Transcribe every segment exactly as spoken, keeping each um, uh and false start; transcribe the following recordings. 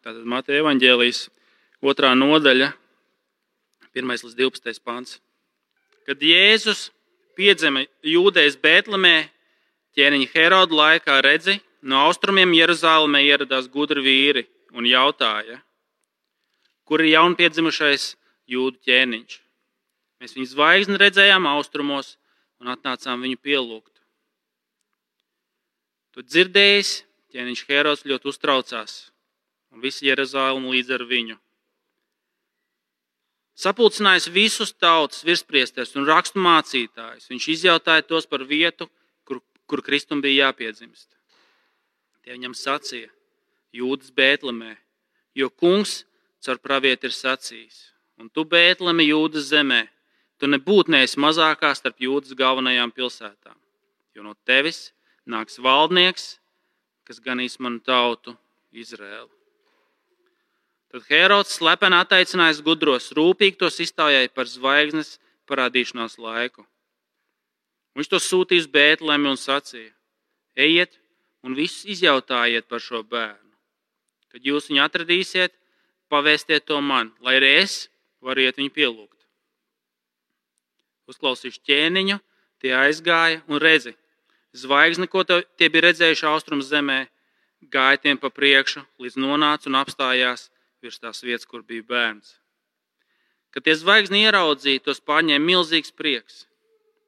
Tātad Mateja evaņģēlijas otrā nodaļa, pirmais līdz divpadsmitais pants. Kad Jēzus piedzima Jūdejas Bētlemē, ķēniņa Heroda laikā, redzi, no austrumiem Jeruzālēmē ieradās gudri vīri un jautāja, kur ir jaunpiedzimušais Jūdu ķēniņš. Mēs viņu zvaigzni redzējām austrumos un atnācām viņu pielūgt. To dzirdējis, ķēniņš Herods ļoti uztraucās, un visi Jeruzālēma līdz ar viņu. Sapulcinājis visus tautas virspriesters un rakstu mācītājus, viņš izjautāja tos par vietu, kur, kur Kristum bija jāpiedzimst. Tie viņam sacīja, Jūdas Bētlemē, jo kungs caur pravieti ir sacījis, un tu Bētleme Jūdas zemē, tu nebūtu neesi mazākā starp Jūdas galvenajām pilsētām, jo no tevis nāks valdnieks, kas ganīs manu tautu Izraēlu. Tad Herods slepeni attaicinājis gudros, rūpīgi tos iztaujāja par zvaigznes parādīšanās laiku. Viņš to sūtīja uz Bētlemi un sacīja, ejiet un visus izjautājiet par šo bērnu. Kad jūs viņu atradīsiet, pavēstiet to man, lai arī es varu iet viņu pielūgt. Uzklausījuši ķēniņu, tie aizgāja un redzi, zvaigzni, ko tie bija redzējuši austrums zemē, gāja tiem pa priekšu, līdz nonāca un apstājās virs tās vietas, kur bija bērns. Kad tie zvaigzni ieraudzīja, tos pārņēma milzīgs prieks.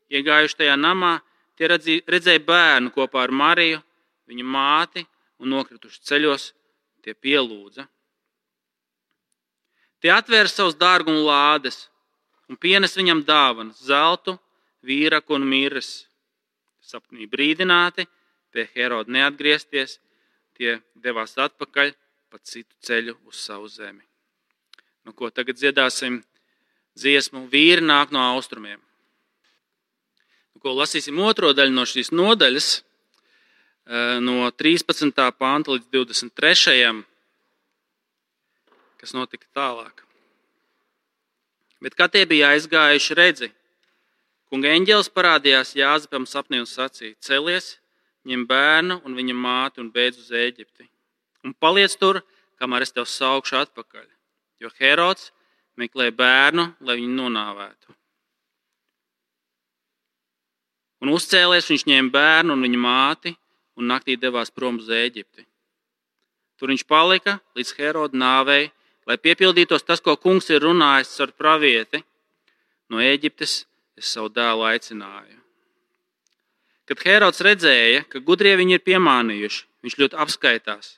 Iegājuši tajā namā, tie redzēja bērnu kopā ar Mariju, viņa māti, un nokrituši ceļos, tie pielūdza. Tie atvēra savus dārgumu lādes un pienes viņam dāvanas, zeltu, vīraku un mirres. Sapnī brīdināti, pie Heroda neatgriezties, tie devās atpakaļ pa citu ceļu uz savu zemi. Nu, ko tagad dziedāsim dziesmu Vīri nāk no austrumiem. Nu, ko lasīsim otro daļu no šīs nodaļas, no trīspadsmitā panta līdz divdesmit trešajam, kas notika tālāk. Bet kā tie bija aizgājuši, redzi, kunga eņģelis parādījās Jāzepam sapnī un sacīja, celies, ņem bērnu un viņa māti un beidz uz Ēģipti. Un paliec tur, kamēr es tev saukšu atpakaļ, jo Herods meklē bērnu, lai viņu nonāvētu. Un uzcēlies, viņš ņēma bērnu un viņa māti un naktī devās prom uz Ēģipti. Tur viņš palika līdz Heroda nāvei, lai piepildītos tas, ko kungs ir runājis ar pravieti. No Ēģiptes es savu dēlu aicināju. Kad Herods redzēja, ka gudrie viņi ir piemānījuši, viņš ļoti apskaitās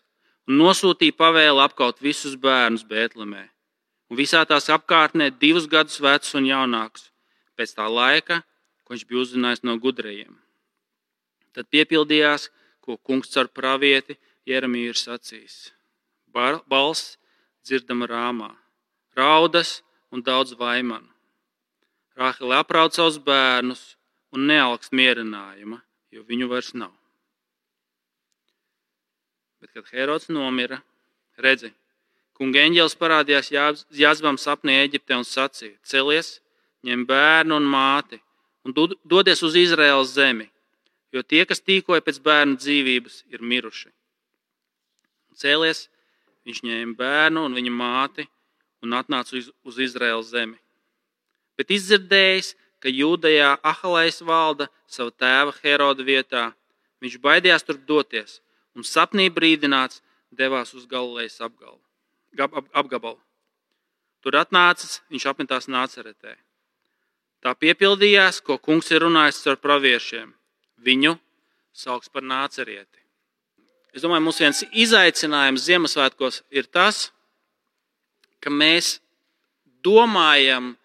un nosūtīja pavēli apkaut visus bērnus Bētlemē un visā tās apkārtnē divus gadus vecus un jaunākus, pēc tā laika, ko viņš bija uzzinājis no gudrajiem. Tad piepildījās, ko kungs caur pravieti Jeremiju ir sacījis. Balss dzirdama Rāmā, raudas un daudz vaimanu. Rāhele aprauc savus bērnus un nealkst mierinājuma, jo viņu vairs nav. Bet, kad Herods nomira, redzi, kunga eņģelis parādījās Jāzepam sapnī Ēģiptē un sacīja, celies, ņem bērnu un māti un dodies uz Izraēlas zemi, jo tie, kas tīkoja pēc bērnu dzīvības, ir miruši. Cēlies, viņš ņēma bērnu un viņa māti un atnāca uz, uz Izraēlas zemi. Bet izdzirdējis, ka Jūdejā Ahalejs valda savu tēva Heroda vietā, viņš baidījās tur doties un sapnī brīdināts devās uz Galilejas apgabalu. Tur atnācis, viņš apmetās Nāceretē. Tā piepildījās, ko kungs ir runājis ar praviešiem. Viņu sauks par Nācerieti. Es domāju, mums viens izaicinājums Ziemassvētkos ir tas, ka mēs domājam,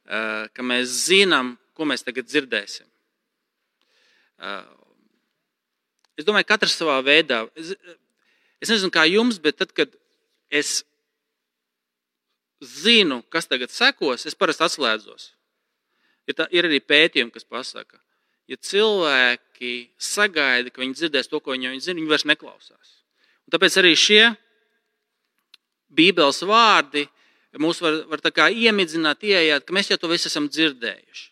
ka mēs zinām, ko mēs tagad dzirdēsim. Es domāju, katrs savā veidā. Es, es nezinu, kā jums, bet tad, kad es zinu, kas tagad sekos, es parasti atslēdzos. Ir, tā, ir arī pētījumi, kas pasaka, ja cilvēki sagaida, ka viņi dzirdēs to, ko viņi, viņi zina, viņi vairs neklausās. Un tāpēc arī šie Bībeles vārdi mūs var, var tā kā iemidzināt, ieejāt, ka mēs jau to visu esam dzirdējuši.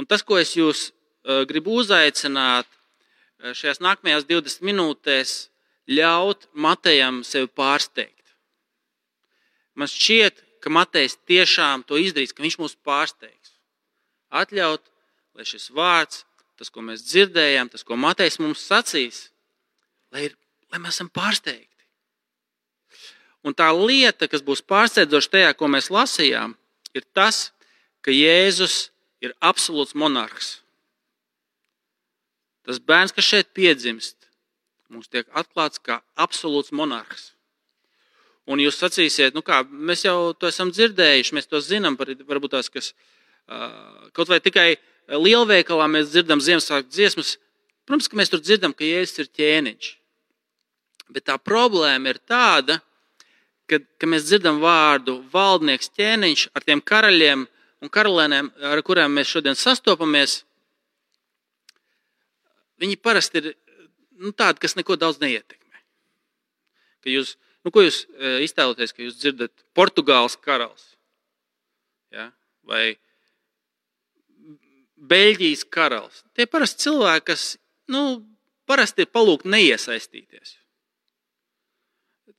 Un tas, ko es jūs uh, gribu uzaicināt, šajās nākamajās divdesmit minūtēs ļaut Matejam sevi pārsteigt. Man šķiet, ka Matejs tiešām to izdarīs, ka viņš mūs pārsteigs. Atļaut, lai šis vārds, tas, ko mēs dzirdējām, tas, ko Matejs mums sacīs, lai, ir, lai mēs esam pārsteigti. Un tā lieta, kas būs pārsteidzoša tajā, ko mēs lasījām, ir tas, ka Jēzus ir absolūts monarhs. Tas bērns, kas šeit piedzimst, mums tiek atklāts kā absolūts monarhs. Un jūs sacīsiet, nu kā, mēs jau to esam dzirdējuši, mēs to zinām, varbūt tās, kas kaut vai tikai lielveikalā mēs dzirdam Ziemassvētku dziesmas. Protams, ka mēs tur dzirdam, ka Jēzus ir ķēniņš. Bet tā problēma ir tāda, ka, ka mēs dzirdam vārdu valdnieks, ķēniņš ar tiem karaļiem un karalēniem, ar kuriem mēs šodien sastopamies. Viņi parasti ir nu, tādi, kas neko daudz neietekmē. Ka jūs, nu, ko jūs iztēloties, ka jūs dzirdat Portugāles karalis? Ja? Vai Beļģijas karalis? Tie parasti cilvēki, kas nu, parasti ir palūgti neiesaistīties.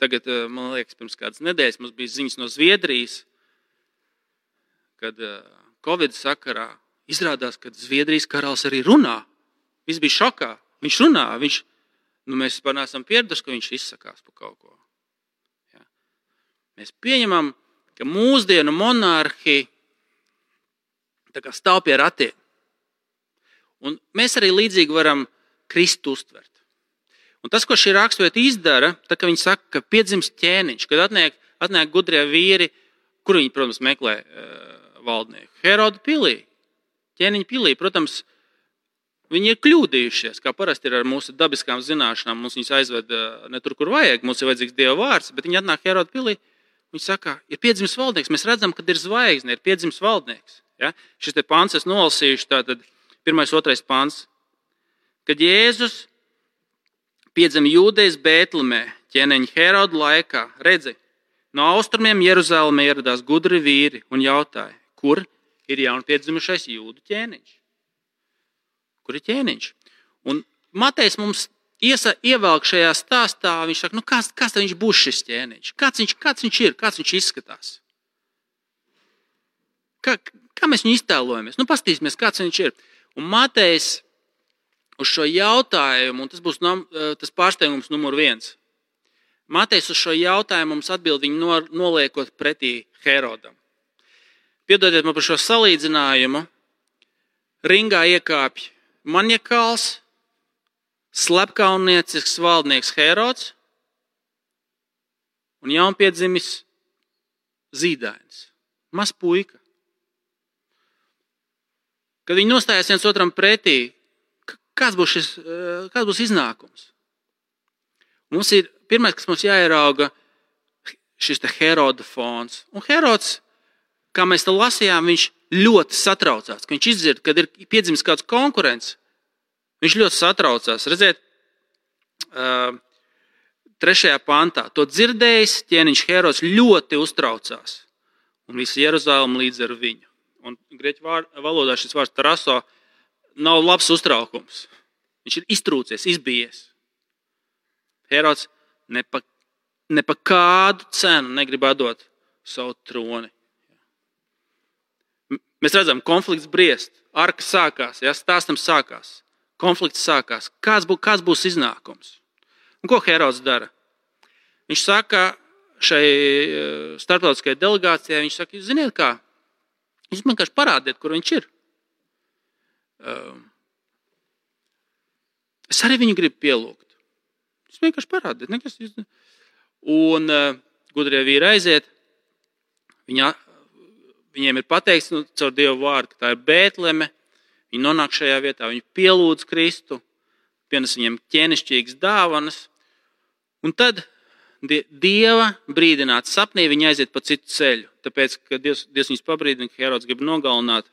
Tagad, man liekas, pirms kādas nedēļas mums bija ziņas no Zviedrijas, kad Covid sakarā izrādās, ka Zviedrijas karalis arī runā. Viss bija šokā. Viņš runā. Viņš, nu, mēs vispār neesam pieraduši, ka viņš izsakās par kaut ko. Ja. Mēs pieņemam, ka mūsdienu monarhi tā kā stāv pie ratiem. Un mēs arī līdzīgi varam Kristu uztvert. Un tas, ko šī raksturvieta izdara, tā, ka viņi saka, ka piedzimst ķēniņš, kad atnāk, atnāk gudrie vīri, kur viņi, protams, meklē uh, valdnieku. Heroda pilī, ķēniņa pilī, protams, viņi ir kļūdījušies, kā parasti ir ar mūsu dabiskām zināšanām. Mums viņus aizved uh, ne tur, kur vajag, mums ir vajadzīgs Dieva vārds, bet viņi atnāk Heroda pilī, viņi saka, ir piedzimis valdnieks, mēs redzam, kad ir zvaigzne, ir piedzimis valdnieks. Ja? Šis te pants es nolasījuši, tātad pirmais, otrais pants, kad Jēzus piedzima Jūdejas Bētlemē, ķēniņa Heroda laikā, redzi, no austrumiem Jeruzalemē ieradās gudri vīri un jautāja, kur ir jaunpiedzimušais jūdu ķēniņš? Kur ir ķēniņš? Un Matejs mums iesa, ievelk šajā stāstā, viņš saka, nu kāds, kāds viņš būs šis ķēniņš? Kāds viņš, kāds viņš ir? Kāds viņš izskatās? Kā, kā mēs viņu iztēlojamies? Nu pastīsimies, kāds viņš ir. Un Matejs uz šo jautājumu, un tas būs tas pārsteigums numur viens. Matejs uz šo jautājumu mums atbild viņu noliekot pretī Herodam. Piedodiet man par šo salīdzinājumu. Ringā iekāpj maniakāls, slepkauniecisks valdnieks Herods un jaunpiedzimis zīdainis, maz puika. Kad viņi nostājās viens otram pretī, Kāds būs, šis, kāds būs iznākums? Mums ir pirmais, kas mums jāierauga, šis te Heroda fons. Un Herods, kā mēs te lasījām, viņš ļoti satraucās. Ka viņš izdzird, kad ir piedzimis kāds konkurents, viņš ļoti satraucās. Redziet, trešajā pantā. To dzirdējis, ķēniņš Herods ļoti uztraucās. Un visa Jeruzalem līdz ar viņu. Un grieķu valodā šis vārds taraso nav labs uztraukums. Viņš ir iztrūcies, izbijies. Herods ne pa, ne pa kādu cenu negrib atdot savu troni. Mēs redzam, konflikts briest, arka sākās, ja, stāstam sākās, konflikts sākās. Kāds, bū, kāds būs iznākums? Un ko Herods dara? Viņš saka šai starptautiskajai delegācijai, viņš saka, jūs ziniet kā, jūs vienkārši parādiet, kur viņš ir. Es arī viņu gribu pielūgt. Es vienkārši parādiet. Nekas, un uh, gudrie vīri aiziet. Viņa, viņiem ir pateikts nu, caur Dievu vārdu, ka tā ir Bētleme. Viņi nonāk šajā vietā, viņi pielūdz Kristu, pienes viņiem ķēnišķīgas dāvanas. Un tad Dieva brīdināt sapnī viņi aiziet pa citu ceļu. Tāpēc, ka Dievs, Dievs viņus pabrīdina, ka Herods grib nogalināt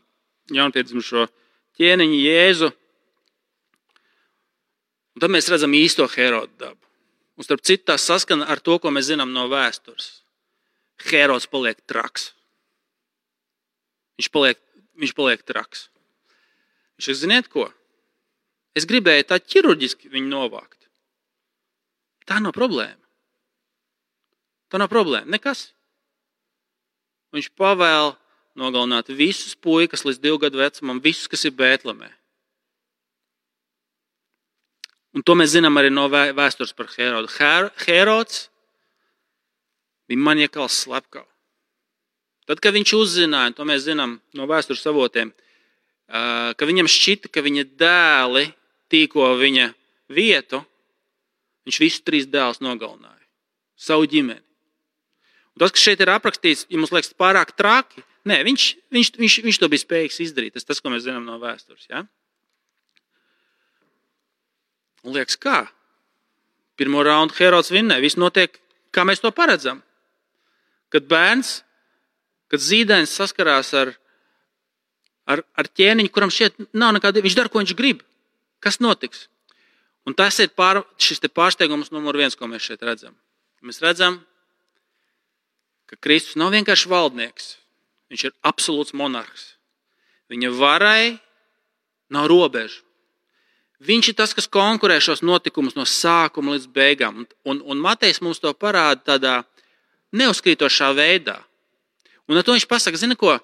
jaunpiedzimušo ķēniņu Jēzu. Un tad mēs redzam īsto Heroda dabu. Un starp citu tā saskana ar to, ko mēs zinām no vēstures. Herods paliek traks. Viņš paliek, viņš paliek traks. Viņš saka, ziniet ko? Es gribēju tā ķirurģiski viņu novākt. tā nav problēma. Tā nav problēma. Nekas. Viņš pavēl nogalināt visus puikas līdz divu gadu vecumam, visus, kas ir Bētlemē. Un to mēs zinām arī no vēstures par Herodu. Herods bija maniakāls slepkavs. Tad, kad viņš uzzināja, to mēs zinām no vēstures avotiem, ka viņam šķita, ka viņa dēli tīko viņa vietu, viņš visus trīs dēlus nogalināja. Savu ģimeni. Un tas, kas šeit ir aprakstīts, ja mums liekas pārāk traki, nē, viņš, viņš, viņš, viņš to bija spējīgs izdarīt. Tas, tas ko mēs zinām no vēstures. Ja? Un liekas, kā? Pirmo raundu Herods vinnē. Viss notiek, kā mēs to paredzam. Kad bērns, kad zīdainis saskarās ar, ar, ar ķēniņu, kuram šeit nav nekāda, viņš dara, ko viņš grib. Kas notiks? Un tas ir pār, šis te pārsteigums numur viens, ko mēs šeit redzam. Mēs redzam, ka Kristus nav vienkārši valdnieks. Viņš ir absolūts monarhs. Viņa varai nav robežu. Viņš ir tas, kas konkurē šos notikumus no sākuma līdz beigām. Un, un Matejs mums to parāda tādā neuzkrītošā veidā. Un ar to viņš pasaka, zina ko?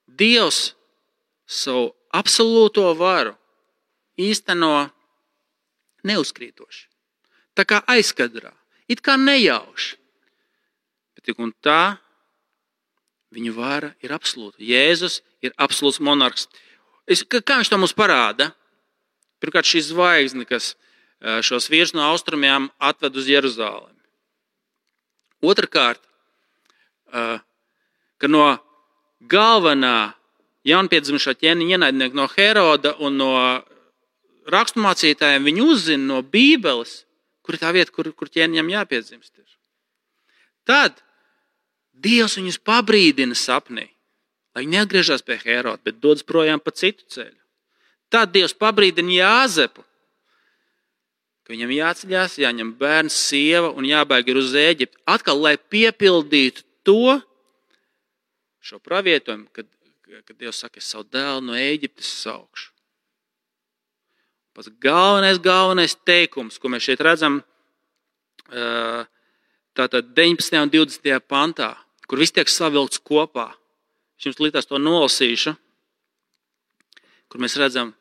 Dievs savu absolūto varu īsteno neuzkrītoši. Tā kā aizkadrā. It kā nejauši. Bet tik un tā viņa vara ir absolūta. Jēzus ir absolūts monarhs. Es, kā viņš to mums parāda? Pirmkārt, šī zvaigzne, kas šos vīrus no austrumiem atved uz Jeruzālemi. Otrakārt, ka no galvenā jaunpiedzimušā ķēniņa ienaidnieka no Heroda un no raksturmācītājiem viņi uzzina no Bībeles, kur ir tā vieta, kur, kur ķēniņam jāpiedzimst. Tad Dievs viņus pabrīdina sapnī, lai viņi neatgriežas pie Heroda, bet dodas projām pa citu ceļu. Tad Dievs pabrīdina Jāzepu, ka viņam jāceļās, jāņem bērns, sieva un jābēg ir uz Ēģipti. Atkal, lai piepildītu to, šo pravietojumu, kad, kad Dievs saka, es savu dēlu no Ēģiptes saukšu. Pats galvenais, galvenais teikums, ko mēs šeit redzam, tātad deviņpadsmitajā un divdesmitajā pantā, kur viss tiek savilkts kopā. Es jums līdzās to nolasīšu, kur mēs redzam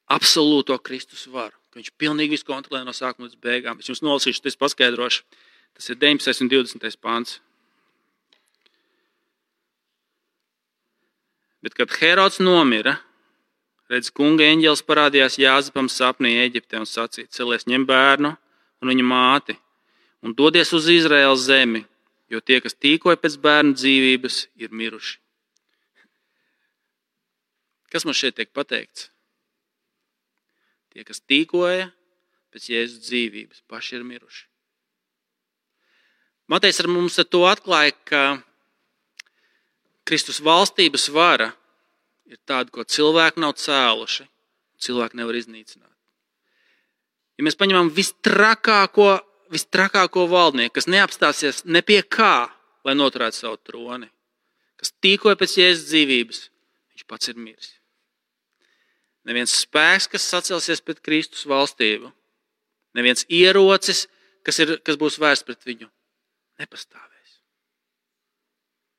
absolūto Kristus varu, ka viņš pilnīgi visu kontrolē no sākuma līdz beigām. Es jums nolasīšu, tas paskaidrošu. Tas ir deviņpadsmitais un divdesmitais pants. Bet, kad Herods nomira, redz, kunga eņģelis parādījās Jāzepam sapnī Ēģiptē un sacīja, celies ņem bērnu un viņa māti un dodies uz Izraēlas zemi, jo tie, kas tīkoja pēc bērnu dzīvības, ir miruši. Kas mums šeit tiek pateikts? Tie, kas tīkoja pēc Jēzus dzīvības, paši ir miruši. Matejs ar mums ar to atklāja, ka Kristus valstības vara ir tāda, ko cilvēki nav cēluši, cilvēki nevar iznīcināt. Ja mēs paņemam vistrakāko, vistrakāko valdnieku, kas neapstāsies ne pie kā, lai noturētu savu troni, kas tīkoja pēc Jēzus dzīvības, viņš pats ir miris. Neviens spēks, kas sacelsies pret Kristus valstību, neviens ierocis, kas, ir, kas būs vērsts pret viņu, nepastāvēs.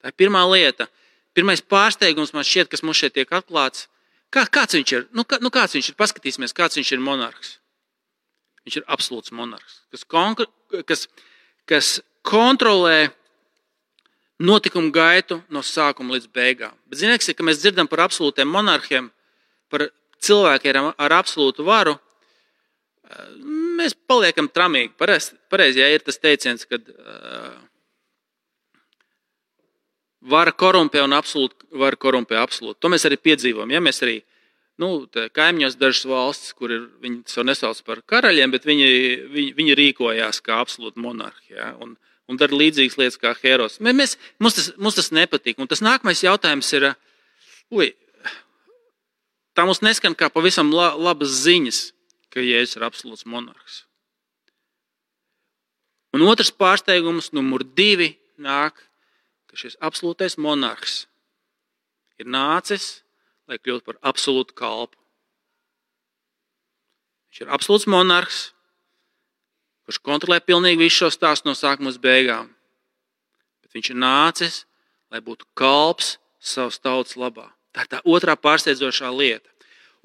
Tā ir pirmā lieta. Pirmais pārsteigums man šķiet, kas mums šeit tiek atklāts. Kā, kāds viņš ir? Nu, kā, nu, kāds viņš ir? Paskatīsimies, kāds viņš ir monarhs. Viņš ir absolūts monarhs, kas, konkr, kas, kas kontrolē notikumu gaitu no sākuma līdz beigām. Bet ziniet, ka mēs dzirdam par absolūtiem monarhiem, par cilvēkiem ar absolūtu varu, mēs paliekam tramīgi. Pareizi, pareiz, ja ir tas teiciens, kad uh, vara korumpē un absolūti vara korumpē absolūti. To mēs arī piedzīvojam. Ja? Mēs arī nu, kaimiņos dažas valstis, kur ir, viņi savu nesauc par karaļiem, bet viņi, viņi, viņi rīkojās kā absolūti monarhi. Ja? Un, un dara līdzīgas lietas kā Herods. Mēs, mums, tas, mums tas nepatīk. Un tas nākamais jautājums ir, uj, tā mums neskan kā pavisam labas ziņas, ka Jēzus ir absolūts monarhs. Un otrs pārsteigums, numur divi, nāk, ka šis absolūtais monarhs ir nācis, lai kļūtu par absolūtu kalpu. Viņš ir absolūts monarhs, kurš kontrolē pilnīgi visu šo stāstu no sākuma līdz beigām. Bet viņš ir nācis, lai būtu kalps savas tautas labā. Tā ir tā otrā pārsteidzošā lieta.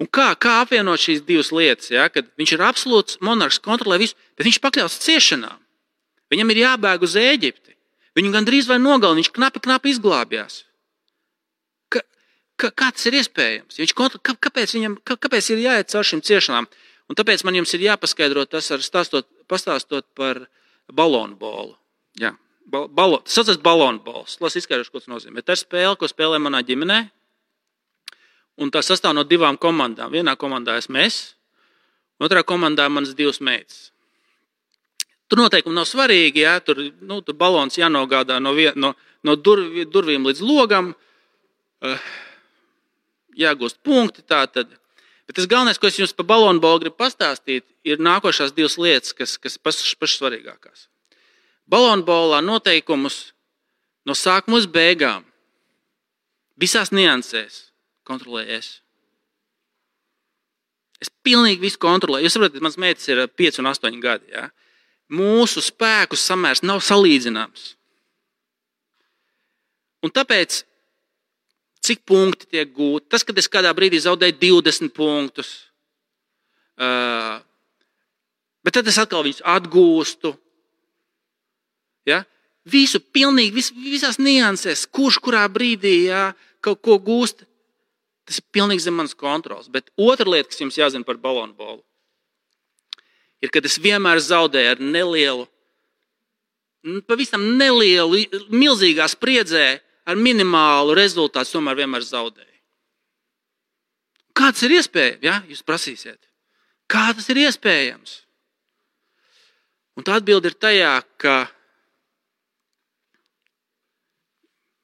Un kā, kā apvienot šīs divas lietas? Ja? Kad viņš ir absolūts monarhs, kontrolē visu, bet viņš pakļauts ciešanām. Viņam ir jābēg uz Ēģipti. Viņu gandrīz vai nogalina, viņš knapi, knapi izglābjās. Ka, ka, kā tas ir iespējams? Viņš kontro, kā, kāpēc, viņam, kā, kāpēc ir jāiet caur šīm ciešanām? Un tāpēc man jums ir jāpaskaidro tas ar stāstot, pastāstot par balonu bolu. Jā, balo, tas saucas balonu bols. Las izskaidrošu, ko tas nozīmē. Tā ir spēle, ko spēlē manā ģimenē. Un tā sastāv no divām komandām. Vienā komandā esmu es, otrā komandā manas divas meitas. Tur noteikumi nav svarīgi, ja? tur, nu, tur balons jānogādā no, vien, no, no dur, durvīm līdz logam, uh, jāgūst punkti. Tātad. Bet tas galvenais, ko es jums par balonu bolu gribu pastāstīt, ir nākošās divas lietas, kas, kas pašas, pašas svarīgākās. Balonu bolā noteikumus no sākuma uz beigām, visās niansēs, kontrolēju es. Es pilnīgi visu kontrolēju. Jūs saprotat, mans meitas ir pieci un astoņi gadi. Ja? Mūsu spēku samērs nav salīdzināms. Un tāpēc, cik punkti tiek gūti, tas, kad es kādā brīdī zaudēju divdesmit punktus, uh, bet tad es atkal viņus atgūstu. Ja? Visu pilnīgi, vis, visās niansēs, kurš kurā brīdī ja, kaut ko gūst, tas ir pilnīgi zem manas kontrols. Bet otra lieta, kas jums jāzina par balonu bolu, ir, kad es vienmēr zaudēju ar nelielu, pavisam nelielu, milzīgā spriedzē, ar minimālu rezultātu, tomēr vienmēr zaudēju. Kā tas ir iespējams? Ja? Jūs prasīsiet. Kā tas ir iespējams? Un tā atbilde ir tajā, ka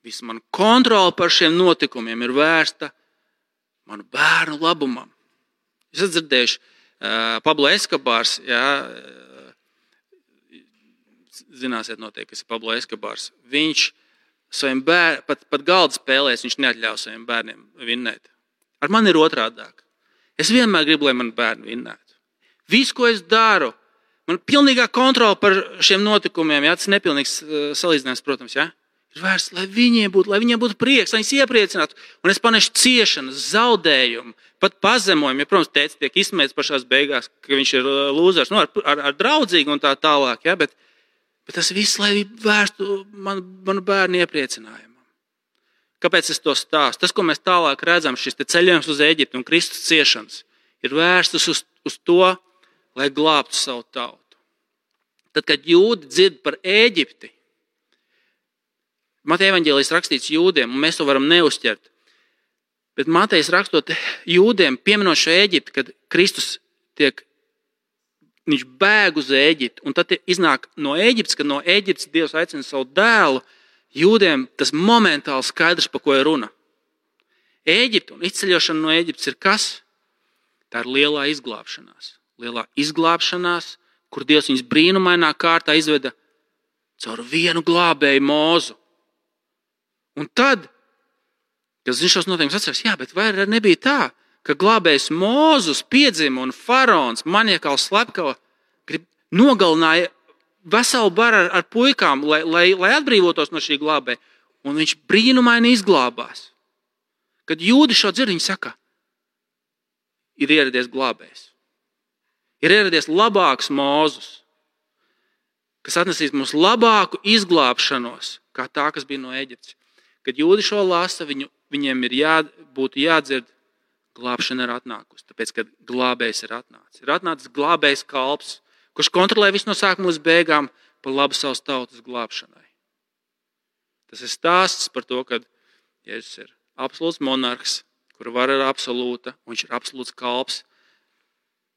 visa mana kontrola par šiem notikumiem ir vērsta manu bērnu labumam. Jūs esat dzirdējuši, uh, Pablo Escobars, jā, uh, zināsiet noteikti, kas ir Pablo Escobars. Viņš saviem bērniem, pat, pat galda spēlēs, viņš neatļauj saviem bērniem vinnēt. Ar mani ir otrādāk. Es vienmēr gribu, lai mani bērni vinnētu. Visu, ko es daru, man ir pilnīgā kontrola par šiem notikumiem, jā, tas ir nepilnīgs uh, salīdzinājums, protams, jā. Ir vērsts, lai viņiem būtu, lai viņiem būtu prieks, lai viņus iepriecinātu. Un es panešu ciešanas, zaudējumu, pat pazemojumu. Ja, protams, tēvs tiek izsmēts pašās beigās, ka viņš ir lūzers, nu, ar, ar, ar draudzīgu un tā tālāk. Ja, bet, bet tas viss, lai vērstu man, manu bērnu iepriecinājumam. Kāpēc es to stāstu? Tas, ko mēs tālāk redzam, šis ceļojums uz Ēģipti un Kristus ciešanas, ir vērstas uz, uz to, lai glābtu savu tautu. Tad, kad jūdi dzird par Ēģipti, Mateja evaņģēlijs rakstīts jūdiem, un mēs to varam neuzķert. Bet Matejs rakstot jūdiem, pieminot šo Ēģipti, kad Kristus tiek, viņš bēg uz Ēģipti, un tad iznāk no Ēģiptes, kad no Ēģiptes Dievs aicina savu dēlu, jūdiem tas momentāli skaidrs, par ko ir runa. Ēģipte un izceļošana no Ēģiptes ir kas? Tā ir lielā izglābšanās. Lielā izglābšanās, kur Dievs viņus brīnumainā kārtā izveda caur vienu glābēju Mozu. Un tad, kad viņš šos noteikumus atceras, jā, bet vai nebija tā, ka glābējs Mozus piedzima un faraons, maniekāls slepkava, grib nogalināja veselu baru ar, ar puikām, lai, lai, lai atbrīvotos no šī glābēja. Un viņš brīnumaini izglābās. Kad jūdi šo dzird, viņi saka, ir ieradies glābējs. Ir ieradies labāks Mozus, kas atnesīs mums labāku izglābšanos, kā tā, kas bija no Ēģiptes. Kad jūdi šo lasa, viņu, viņiem ir jā, būtu jādzird, glābšana ir atnākusi, tāpēc, ka glābējs ir atnācis. Ir atnācis glābējs kalps, kurš kontrolē visu no sākuma līdz beigām par labu savas tautas glābšanai. Tas ir stāsts par to, ka Jēzus ir absolūts monarhs, kura vara ir absolūta, un viņš ir absolūts kalps,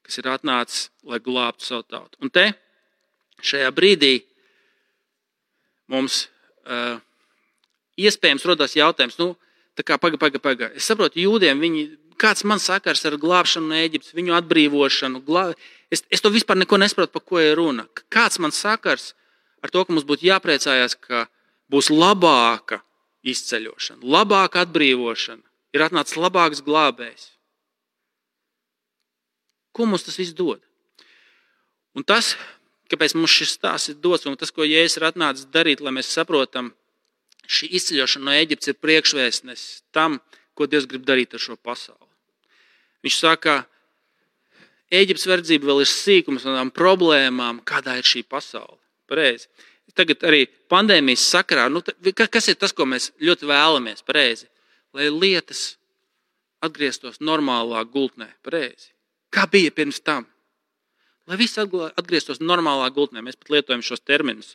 kas ir atnācis, lai glābtu savu tautu. Un te, šajā brīdī, mums uh, iespējams rodas jautājums, nu, tā kā paga, paga, paga. Es saprotu, jūdiem, viņi, kāds man sakars ar glābšanu no Ēģiptes, viņu atbrīvošanu, glā... es, es to vispār neko nesaprotu, par ko ir runa. Kāds man sakars ar to, ka mums būtu jāpriecājās, ka būs labāka izceļošana, labāka atbrīvošana, ir atnācis labāks glābējs. Ko mums tas viss dod? Un tas, kāpēc mums šis stāsts ir dots, un tas, ko Jēzus ir atnācis darīt, lai mēs saprotam, šī izceļošana no Ēģiptes ir priekšvēstnesis tam, ko Dievs grib darīt ar šo pasauli. Viņš saka, Ēģiptes verdzība vēl ir sīkums un tām problēmām, kādā ir šī pasaule. Pareizi. Tagad arī pandēmijas sakarā, nu, kas ir tas, ko mēs ļoti vēlamies, pareizi? Lai lietas atgrieztos normālā gultnē, pareizi. Kā bija pirms tam? Lai viss atgrieztos normālā gultnē, mēs pat lietojam šos terminus.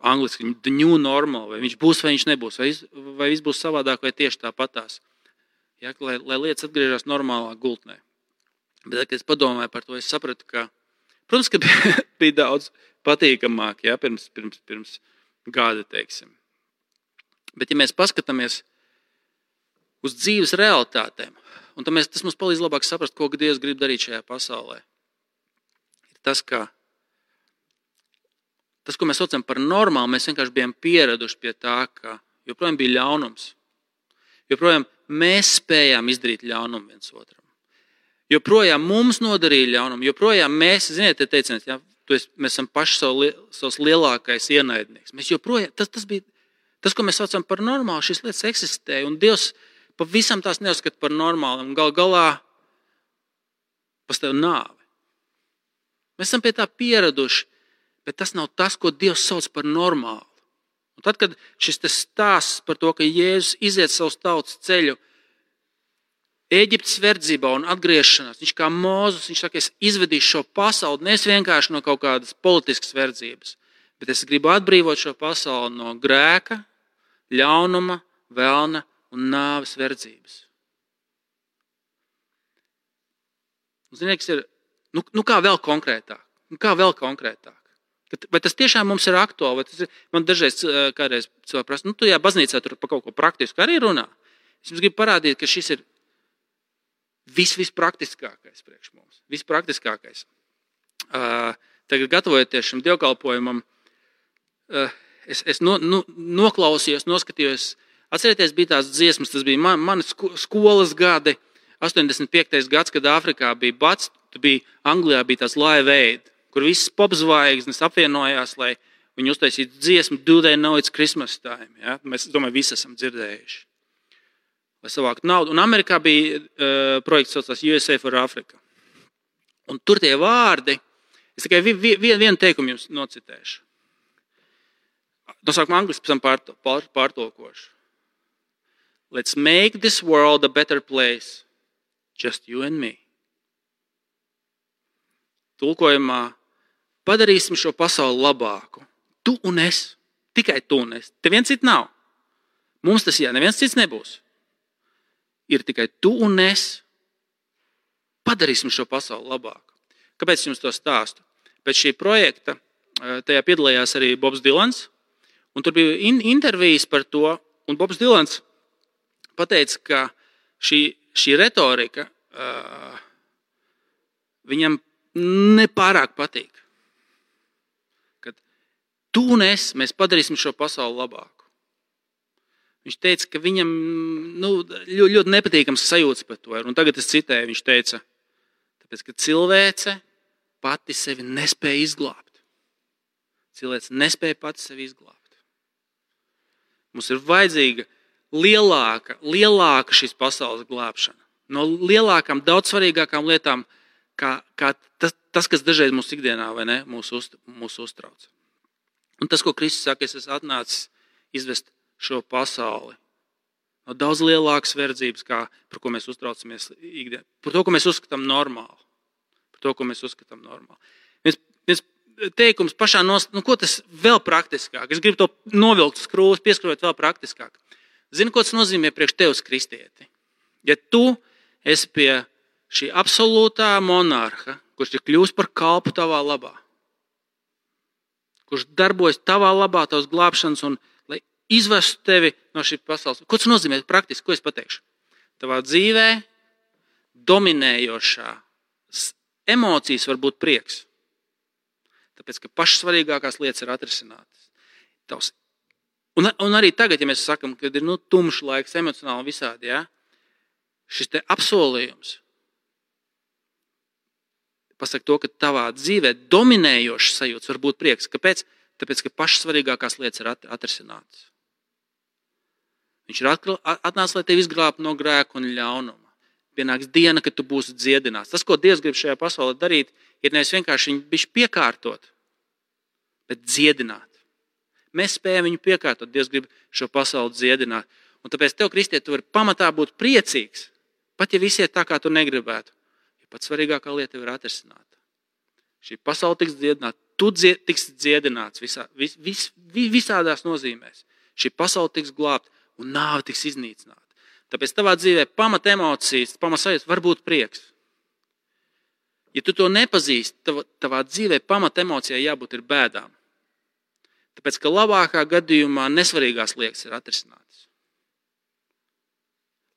Angliski, the new normal, vai viņš būs, vai viņš nebūs, vai, vai viss būs savādāk, vai tieši tāpatās. Ja, lai, lai lietas atgriežas normālā gultnē. Bet, kad es padomāju par to, es sapratu, ka, protams, ka bija, bija daudz patīkamāk, ja, pirms, pirms, pirms gada, teiksim. Bet, ja mēs paskatāmies uz dzīves realitātēm, un mēs, tas mums palīdz labāk saprast, ko Dievs grib darīt šajā pasaulē. Ir tas, ka tas, ko mēs saucam par normālu, mēs vienkārši bijām pieraduši pie tā, ka joprojām bija ļaunums. Joprojām mēs spējām izdarīt ļaunumu viens otram. Joprojām mums nodarīja ļaunumu, joprojām mēs, ziniet, te teiciens, ja, mēs esam paši savu, savs lielākais ienaidnieks. Mēs joprojām, tas, tas bija, tas, ko mēs saucam par normālu, šīs lietas eksistēja, un Dievs pavisam tās neuzskata par normālu, un gal galā pastāv nāve. Mēs esam pie tā pieraduši, bet tas nav tas, ko Dievs sauc par normālu. Un tad, kad šis stāsts par to, ka Jēzus iziet savus tautas ceļu Ēģiptes verdzībā un atgriešanās, viņš kā Mūzes, viņš saka, es izvedīšu šo pasauli, nevis vienkārši no kaut kādas politiskas verdzības, bet es gribu atbrīvot šo pasauli no grēka, ļaunuma, vēlna un nāves verdzības. Ziniet, kas ir, nu, nu kā vēl konkrētāk? Nu kā vēl konkrētāk? Vai tas tiešām mums ir aktuāli? Vai tas ir, man dažreiz kādreiz cilvēki prasa, nu tu jā, baznīcā tur par kaut ko praktisku arī runā. Es jums gribu parādīt, ka šis ir vis, vispraktiskākais priekš mums. Vispraktiskākais. Uh, tagad gatavojoties šim dievkalpojumam, uh, es, es no, no, noklausījos, noskatījos. Atcerieties, bija tās dziesmas, tas bija man, mani skolas gadi, astoņdesmit piektais gads, kad Āfrikā bija bats, tu bija Anglijā bija tās Live Aid, kur visas popzvaigznes apvienojās, lai viņi uztaisītu dziesmu Do They Know It's Christmas Time. Ja? Mēs, domāju, visi esam dzirdējuši. Lai savāktu naudu. Un Amerikā bija uh, projekts saucās U S A for Africa. Un tur tie vārdi, es tikai vi, vi, vienu teikumu jums nocitēšu. No sākuma angliski pēc tam pār, pār, pārtolkošu. Let's make this world a better place. Just you and me. Tulkojumā padarīsim šo pasauli labāku. Tu un es. Tikai tu un es. Te viens cits nav. Mums tas jā, neviens cits nebūs. Ir tikai tu un es. Padarīsim šo pasauli labāku. Kāpēc jums to stāstu? Pēc šī projekta tajā piedalījās arī Bobs Dilans. Un tur bija in- intervijas par to. Un Bobs Dilans pateica, ka šī, šī retorika uh, viņam nepārāk patīk. Kad tu un es, mēs padarīsim šo pasauli labāku. Viņš teica, ka viņam nu, ļoti, ļoti nepatīkams sajūts par to. Un tagad es citēju, viņš teica, tāpēc, ka cilvēce pati sevi nespēja izglābt. Cilvēce nespēja pati sevi izglābt. Mums ir vajadzīga lielāka, lielāka šīs pasaules glābšana. No lielākām, daudz svarīgākām lietām, kā, kā tas, tas, kas dažreiz mūsu ikdienā vai ne, mūs, uz, mūs uztrauc. Un tas, ko Kristus saka, es esmu atnācis izvest šo pasauli no daudz lielākas verdzības, kā par ko mēs uztraucamies ikdienā. Par to, ko mēs uzskatām normāli. Par to, ko mēs uzskatām normāli. Viens, viens teikums pašā nost, nu ko tas vēl praktiskāk? Es gribu to novilkt skrūvus, pieskrūvēt vēl praktiskāk. Zini, ko tas nozīmē priekš tevis, kristieti? Ja tu esi pie šī absolūtā monarha, kurš ir kļūst par kalpu tavā labā, kurš darbojas tavā labā, tavas glābšanas un lai izvestu tevi no šī pasaules. Ko tas nozīmē praktiski? Ko es pateikšu? Tavā dzīvē dominējošā emocijas var būt prieks. Tāpēc, ka pašas svarīgākās lietas ir atrisinātas. Tavs. Un, un arī tagad, ja mēs sakam, kad ir nu, tumšs laiks, emocionāli visādi, ja, šis te apsolījums pasaka to, ka tavā dzīvē dominējošs sajūts var būt prieks. Kāpēc? Tāpēc, ka pašas svarīgākās lietas ir atrisinātas. Viņš ir atnācis, lai tevi izglābtu no grēka un ļaunuma. Pienāks diena, kad tu būsi dziedināts. Tas, ko Dievs grib šajā pasaulē darīt, ir nevis vienkārši viņu bišķi piekārtot, bet dziedināt. Mēs spējam viņu piekārtot. Dievs grib šo pasauli dziedināt. Un tāpēc tev, kristiet, tu vari pamatā būt priecīgs, pat ja visi iet tā, kā tu negribētu. Jo pats svarīgākā lieta tev ir atrisināta. Šī pasaule tiks dziedināta, tu dzied, tiks dziedināts visā, vis, vis, visādās nozīmēs. Šī pasaule tiks glābta un nāve tiks iznīcināta. Tāpēc tavā dzīvē pamat emocijas, pamat sajūtas var būt prieks. Ja tu to nepazīsti, tavā, tavā dzīvē pamat emocijai jābūt ir bēdām. Tāpēc, ka labākā gadījumā nesvarīgās lietas ir atrisinātas.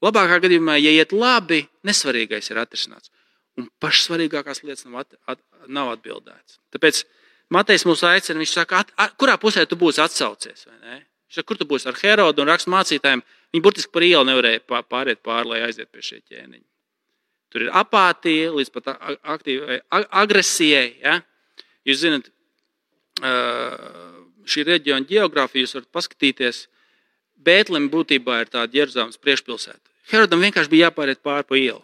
Labākā gadījumā, ja iet labi, nesvarīgais ir atrisināts. Un pašsvarīgākās lietas nav, at, at, nav atbildētas. Tāpēc Matejs mūs aicina, viņš saka, at, at, kurā pusē tu būsi atsaucies, vai ne? Viņš saka, kur tu būsi ar Herodu un rakstu mācītājiem? Viņi burtiski par ielu nevarēja pāriet pāri, lai aiziet pie šie ķēniņi. Tur ir apātija līdz pat aktīvai agresijai. Ja? Jūs zināt, šī reģiona ģeogrāfija, jūs varat paskatīties, Bētleme būtībā ir tāda Jeruzalemes priekšpilsēta. Herodam vienkārši bija jāpāriet pāri pa ielu.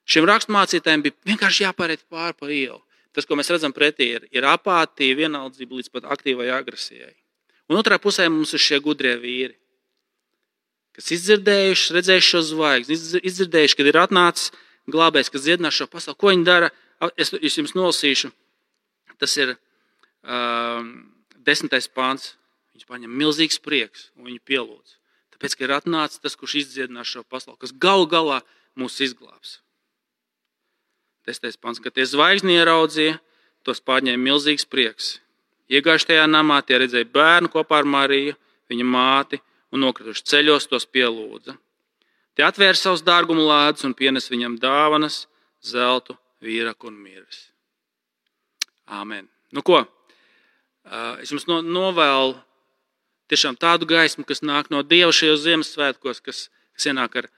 Šiem rakstmācītājiem bija vienkārši jāpāriet pāri pa ielu. Tas, ko mēs redzam pretī, ir, ir apātija, vienaldzība līdz pat aktīvai agresijai. Un otrā pusē mums ir šie gudrie vīri, kas izdzirdējuši, redzējuši šo zvaigzni, izdzirdējuši, kad ir atnācis glābējs, kas dziedinās šo pasauli. Ko viņi dara? Es, es jums nolasīšu. Tas ir um, desmitais pāns. Viņš paņem milzīgs prieks un viņu pielūdz. Tāpēc, ka ir atnācis tas, kurš izdziedinās šo pasauli, kas galu galā mūs izglābs. Desmitais pāns, kad tie zvaigzni ieraudzīja, tos pārņēma milzīgs prieks. Iegājuši tajā namā, tie redzēja bērnu kopā ar Mariju, viņa māti, un nokrituši ceļos tos pielūdza. Tie atvēra savus dārgumu lādus un pienes viņam dāvanas, zeltu, vīraku un mirvis. Āmen. Nu ko? Es jums novēlu tiešām tādu gaismu, kas nāk no Dieva šajos Ziemassvētkos, kas, kas ienāk ar,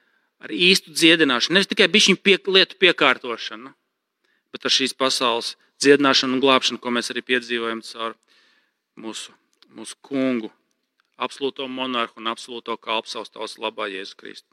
ar īstu dziedināšanu. Nevis tikai bišķiņu pie, lietu piekārtošanu, bet ar šīs pasaules dziedināšanu un glābšanu, ko mēs arī piedzīvojam caur mūsu, mūsu kungu, absolūto monarhu un absolūto kalpu savas tautas labā Jēzu Kristu.